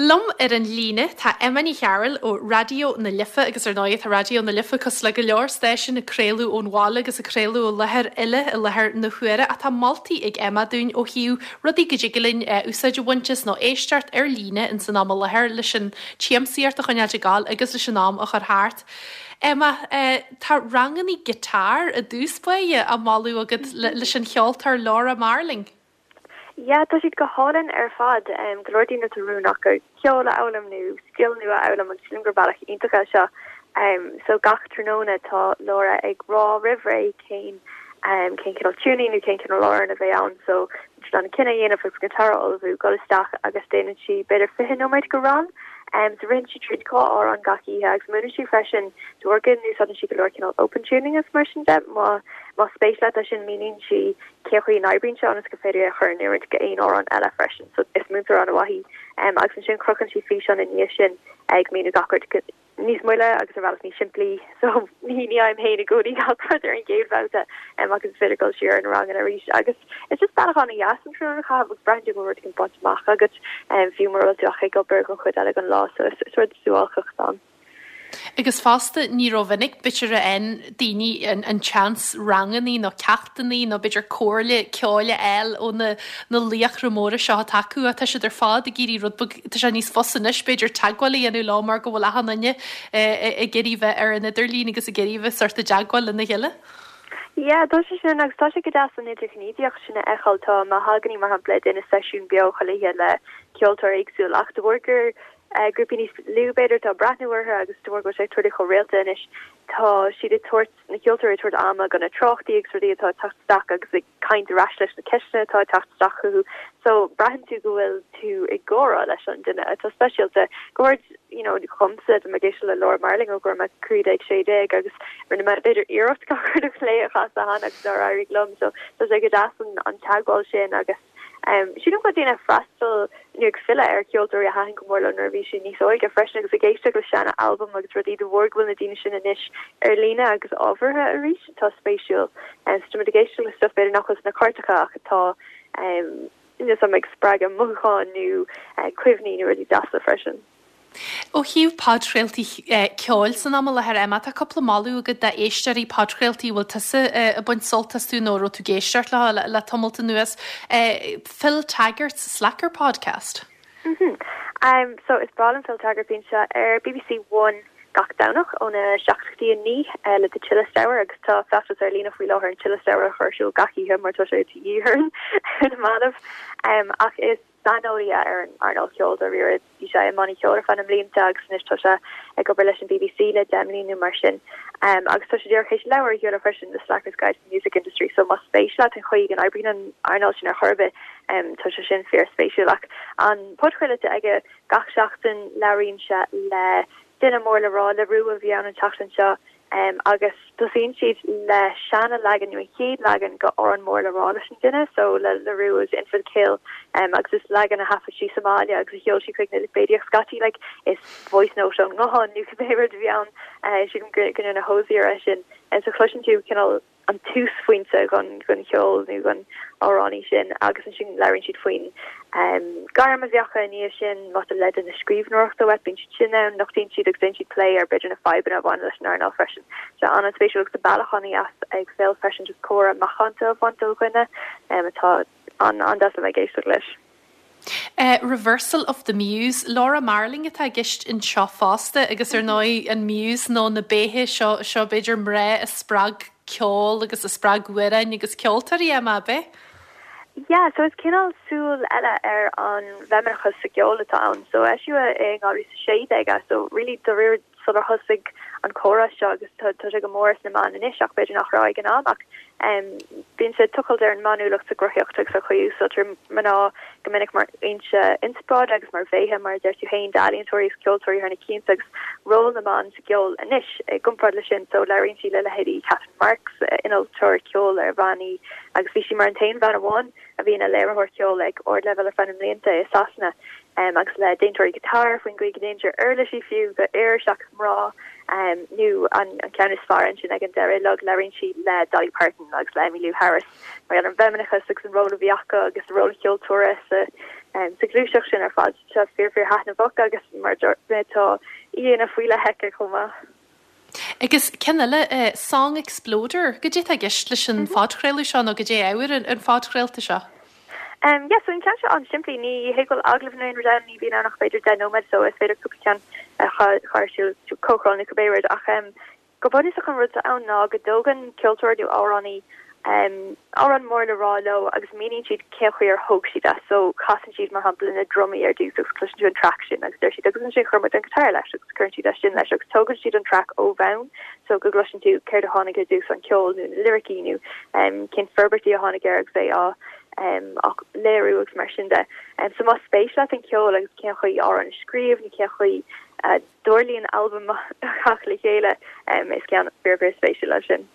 Liom ar an líne tá Emma Ní Chearúil ó Raidió na Life agus ar ndóigh tá Raidió na Life cosúil le go leor stáisiún ag craoladh ón bhaile agus ag craoladh ó láthair eile i láthair na huaire ach tá moltaí ag Emma dúinn ó thaobh rudaí go dtig linn úsáid a bhaint as nó éisteacht ar líne ins an am i láthair leis an tsiamsaíocht a choinneáilt ag gabháil agus leis an am a chur thart. Emma, tá rangannaí guitar i dtús báire á moladh agat leis an cheoltóir Laura Marling. Yeah, tá siad go hálainn ar fad. Go leor daoine atá rún acu ceol a fhoghlaim nó scil nua a fhoghlaim agus sílim gur bealach iontach é seo. So gach tráthnóna tá Laura ag rá roimh ré cén cén cineál tuning nó cén cineál amhrán a bheidh ann so bíonn an cinneadh a dhéanamh agus guitar a ullmhú, dul isteach agus déanann sí b'fhéidir 20 nóiméad go rang. So ritheann sí tríd 2 amhrán gach oíche agus múineann sí freisin de bharr go n-úsáideann sí go leor cineál open tuning agus mar sin de má más spéis leat é sin míníonn sí cén chaoi a n-oibríonn sé ionas gur féidir é a chur in oiriúint go aon amhrán eile freisin. So is múinteoir an-mhaith í. Agus ansin crochann sí físeán i ndiaidh sin ag míniú gach rud níos moille agus ar bhealach níos simplí. So ní ní fhaighim féin i gcónaí gach rud ar an gcéad bhabhta agus is féidir dul siar ar na ranganna arís. Agus is just bealach an-dheas an tráthnóna a chaitheamh agus braitheann tú go bhfuil rud éigin bainte amach agat fiú mura bhfuil tú ach ag obair don chuid eile den lá. So is rud suáilceach atá ann. Agus fosta, ní rómhinic, b'fhéidir, a fhaigheann daoine an tseans rangannaí nó ceachtannaí nó b'fhéidir comhairle ceoil a fháil ó na na laochra móra seo atá acu ach tá siad ar fad ag iarraidh rud beag, tá sé níos fusa anois b'fhéidir teagmháil a dhéanamh leo mar go bhfuil achan duine ag iarraidh bheith ar an idirlíon agus ag iarraidh bheith sórt i dteagmháil lena chéile. Yeah, tá sé sin agus tá sé go deas an idirghníomhaíocht sin a fheiceáil. Tá Mahogany mar shampla ag déanamh seisiún beo chuile oíche le ceoltóir éagsúil ach de bharr gur grúpaí níos lú b'fhéidir atá ag breathnú orthu agus de bharr go bhfuil sé ag tarlú chomh rialta anois tá siad ag tabhairt, na ceoltóirí ag tabhairt ama do na tráchtaí agus rudaí atá ag teacht isteach agus ag caint ar ais leis na ceisteanna atá ag teacht isteach chucu so braitheann tú go bhfuil tú i gcomhrá leis an duine atá speisialta go háirid you know dhomsa tá mé ag éisteacht le Laura Marling ó go raibh mé 15 16 agus rinne mé b'fhéidir iarracht gach rud a phlé a chasadh cheana agus nár éirigh liom so tá sé go deas an, an teagmháil sin agus Sílim go bhfuil daoine ag freastal nó ag filleadh ar cheoltóirí a thaitin go mór leo nuair a bhí siad níos óige freisin agus ag éisteacht le seana albaim agus rudaí de bharr go bhfuil na daoine sin anois ar líne agus ábhartha arís atá spéisiúil. So tá muid ag éisteacht le stuff b'fhéidir nach bhfuil sna cairteacha ach atá ag spreagadh mothúcháin nó cuimhní nó rudaí deasa freisin. Ó thaobh podchraoltaí ceoil san am i láthair, Emma, tá cúpla moladh agat d'éisteoirí podchraoltaí a bhfuil tusa ag baint sult astu nó a raibh tú ag éisteacht leo le tamalt anuas. Phil Taggart's Slacker Podcast. Mhm. So is breá liom Phil Taggart, bíonn sé ar BBC One gach Domhnach óna 7 go dtí 9 le The Chillest Hour agus tá feachtas ar líne faoi láthair an Chillest Hour a chur ar siúl gach oíche mar tá sé de dhíth orainn ar na mallaibh. Ach is saineolaí é ar an earnáil cheoil dáiríre. Bhí sé i mbannaí ceoil ar feadh na mblianta agus anois tá sé ag obair leis an bbc le 10 mbliana nó mar sin. Agus tá sé díreach théis leabhar a sheoladh freisin, The Slacker's Guide to the Music Industry, so más spéis leat an chaoi go n-oibríonn an earnáil sin ar chor ar bith, tá sé sin fíorspéisiúil. Ach an podchraoladh atá aige gach seachtain, labhraíonn sé le duine mór le rá, La Roux a bhí ann an tseachtain seo, Agus tosaíonn siad le seana leagan nó an chéad leagan de amhrán mór le rá leis an duine, so le La Roux is In for the Kill agus is leagan a thaifead sí sa mbaile agus a sheol sí chuig na lipéidí ach scaití like is voice note ón nguthán nó cibé rud a bhí ann sílim go ndearna Hozier é sin. So cloiseann tú cineál an túsphointe don cheol nó don amhránaí sin agus ansin labhraíonn siad faoin gairm a bhí acu i ndiaidh sin, má tá leideanna scríbhneoireachta uait, bíonn siad sin ann, nochtaíonn siad agus déanann siad plé ar b'fhéidir na fadhbanna a bhaineann leis an earnáil freisin. Tá sé an-spéisiúil agus tá bealach an-dheas ag Phil freisin just comhrá macánta a bhaint ó dhuine atá an-deas le bheith ag éisteacht leis. Reversal of the Muse, Laura Marling atá i gceist anseo fosta agus ar ndóigh an muse nó na béithe seo, seo b'fhéidir mná a spreag ceol agus a spreag amhráin agus ceoltóirí, Emma, ab ea? Yeah, so is cineál súil eile ar an bhfeimineachas sa gceol atá ann. So eisíodh é in 2016 é, so really dáiríre sular thosaigh an comhrá seo agus tá sé go mór sna meáin anois ach b'fhéidir nach raibh ag an am ach bíonn sé ag tochailt ar an mbanúlacht sa gcruthaíocht agus an chaoi a úsáidtear mná go minic mar fhoinse inspioráide agus mar bhéithe mar a deir tú féin d'ealaíontóirí agus ceoltóirí thar na cianta agus ról na mban sa gceol anois i gcomparáid leis sin so labhraíonn sí le leithéidí Catherine Marks, innealtóir ceoil ar bhean í agus bhí sí mar an t-aon bhean amháin a bhí ina léiritheoir ceoil ag ardleibhéal ar feadh na mblianta i Sasana agus le déantóirí guitar faoin gcaoi go ndéantar uirlisí fiú do fhir seachas mná nó an ceann is fearr ansin ag an deireadh uilig labhraíonn sí le Dolly Parton agus le Emmylou Harris mar gheall ar an bhfeimineachas agus an ról a bhí acu agus ról an cheoltóra sa. Sa ghluaiseacht sin ar fad, tá sé fíor fíor thaitneamhach agus mar a dúirt mé tá aíonna faoi leith aici chomh maith. Agus ceann eile, Song Exploder, goidé atá i gceist leis an phodchraoladh seo nó goidé ábhar an phodchraolta seo? Yeah, so an ceann seo an-simplí, ní hé go bhfuil agallamh nó aon rud ann, ní bhíonn ann ach b'fhéidir 10 nóiméad so is féidir cúpla ceann a chur ar siúl, comhchraoladh nó cibé rud ach Go bunúsach an rud atá ann ná go dtógann ceoltóir nó amhránaí amhrán mór le rá leo agus míníonn siad cén chaoi ar thóg siad é. So casann siad mar shampla na drumaí ar dtús agus cloiseann tú an traic sin agus deir siad agus ansin chuir muid an guitar leis agus cuireann siad é sin leis agus tógann siad an traic ó bhonn so go gcloiseann tú céard a tháinig ar dtús an ceol nó na liricí nó cén forbairtí a tháinig air agus é á á léiriú agus mar sin de. So más spéis leat an ceol agus cén chaoi amhrán a scríobh nó cén chaoi a dtarlaíonn albam a theacht le chéile. Is ceann fíor fíor spéisiúil é sin.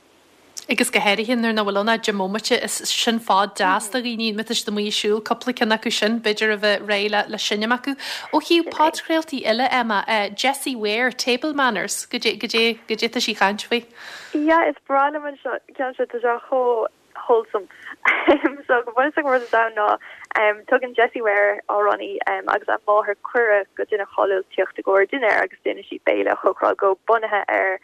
Agus go háirithe nuair nach bhfuil ann ach 10 mbomaite, is sin fad deas do dhaoine má tá siad amuigh ag siúl, cúpla ceann acu sin, b'fhéidir a bheith réidh le le seinm acu. Ó thaobh podchraoltaí eile, Emma, Jessie Ware, Table Manners, goidé, goidé, goidé tá sí ag caint faoi? Yeah, is breá liom an ceann seo, tá sé chomh wholesome. So go bunúsach an rud atá ann ná tugann Jessie Ware, amhránaí, agus a máthair cuireadh go duine cáiliúil tíocht i gcomhair dinnéir agus déanann sí béile a chócaráil dhó bunaithe ar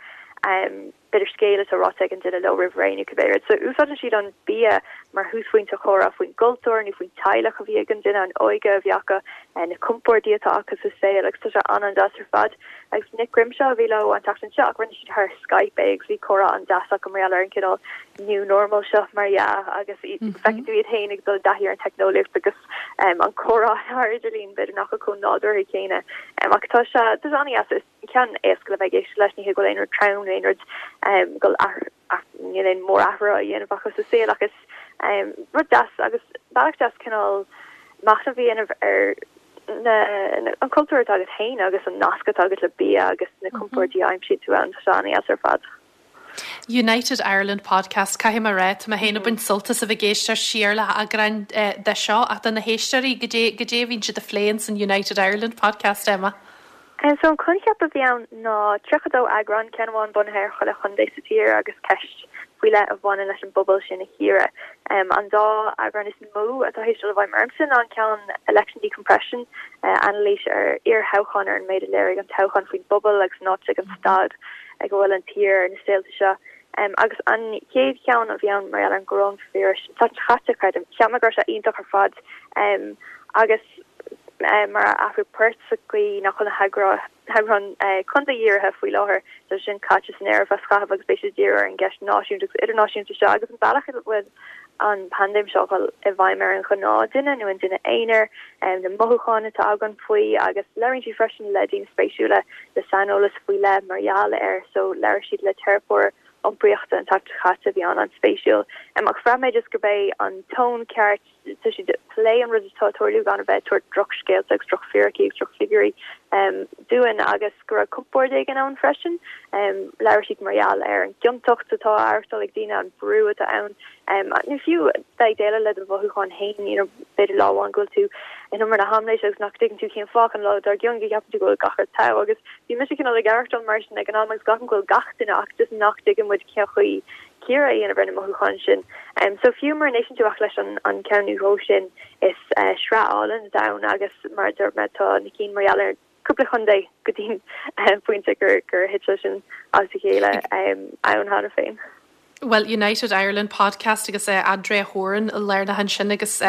b'fhéidir scéal atá ráite ag an duine leo roimh ré nó cibé rud. So úsáideann siad an bia mar thúsphointe chomhrá faoin gcultúr nó faoin teaghlach a bhí ag an duine, an óige a bhí acu, na compordaí atá acu sa saol agus tá sé an-an-deas ar fad. Agus Nick Grimshaw a bhí leo an tseachtain seo ach rinne siad thar Skype é agus bhí comhrá an-deas acu mar gheall ar an cineál new normal seo mar dhea agus feiceann tú iad féin ag dul i dtaithí ar an teicneolaíocht agus an comhrá thar idirlíon b'fhéidir nach bhfuil chomh nádúrtha céanna. Ach tá sé tá sé an-dheas is ceann éasca le bheith ag éisteacht leis ní hé go bhfuil aon rud trom nó aon rud go níl aon mórathrú á dhéanamh acu sa saol ach is rud deas agus bealach deas cineál machnamh a dhéanamh ar na, an cultúr atá agat féin agus an nasc atá agat le bia agus na compordaí a aimsíonn tú ann, tá sé an-dheas ar fad. United Ireland Podcast, Caithfidh mé a rá, tá mé féin ag baint sult as a bheith ag éisteacht siar le heagráin de seo, ach do na héisteoirí, goidé, goidé a bhíonn siad a phlé ins an United Ireland Podcast, Emma? So an coincheap a bhí ann ná 32 eagrán, ceann amháin bunaithe ar chuile chontae sa tír agus ceist faoi leith a bhaineann leis an bpobal sin a chíoradh. An dá eagrán is mó atá théis dul i bhfeidhm ormsa ná an ceann Election Decompression, anailís ar iarthoghchán ar an méid a léirigh an toghchán faoin bpobal agus an áit ag an staid ag a bhfuil an tír ar na saolta seo. Agus an chéad cheann a bhí ann mar gheall ar an gcoróinvíreas an tseachtain seo caite, creidim. Cheap mé go raibh sé iontach ar fad agus mar athrú poirt sa gcaoi nach bhfuil na heagráin contae-dhírithe faoi láthair, tá sé sin caite san aer ar feadh scaithimh agus beidh siad ag díriú ar an gceist náisiúnta agus idirnáisiúnta seo agus an bealach a bhfuil an paindéim seo ag dul i bhfeidhm ar an ghnáthduine nó an duine aonair, na mothúcháin atá againn faoi agus labhraíonn siad freisin le daoine spéisiúla le saineolas faoi leith mar gheall air so labhair siad le teiripeoir iompraíochta an tseachtain seo caite a bhí an-an-spéisiúil. Ach bhraith mé just gurb é an tón ceart Tá siad ag plé an rud atá ag tarlú gan a bheith ag tabhairt drochscéalta agus drochfhíricí agus drochfhigiúirí dúinn agus go raibh compord éigin ann freisin. Labhair siad mar gheall ar an gciontacht atá á aireachtáil ag daoine, an brú atá ann, nó fiú bheith ag déileáil le do mhothúcháin féin, you know, b'fhéidir lá amháin go bhfuil tú in umar na haimléise agus nach dtuigeann tú cén fáth, an lá dár gcionn go gceapann tú go bhfuil gach rud togha agus bhí mise cineál ag aireachtáil mar sin ag an am agus glacaim go bhfuil gach duine ach just nach dtuigeann muid cén chaoi cíoradh a dhéanamh ar na mothúcháin sin. So fiú mura n-éisteann tú ach leis an ceann nó dhó sin, is sraith álainn atá ann agus mar a dúirt mé tá na cinn mar gheall ar cúpla chontae go dtí an pointe gur gur thit sé sin as a chéile ann cheana féin. Bhuel, United Ireland Podcast agus Andrea Horan lárnach ansin agus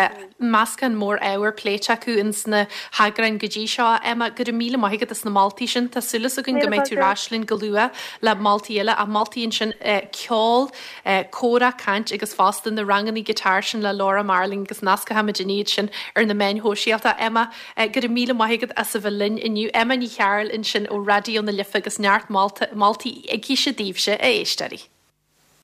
meascán mór ábhar pléite acu ins na heagráin go dtí seo. Emma, go raibh míle maith agat as na moltaí sin. Tá súil againn go mbeidh tú ar ais linn go luath le moltaí eile, ach moltaí ansin ceol, comhrá, caint agus fosta na ranganna guitar sin le Laura Marling agus nascfaimid iad sin ar na meáin shóisialta. Emma, go raibh míle maith agat as a bheith linn inniu. Emma Ní Chearúil ansin ó Raidió na Life agus neart moltaí aici daoibhse, a éisteoirí.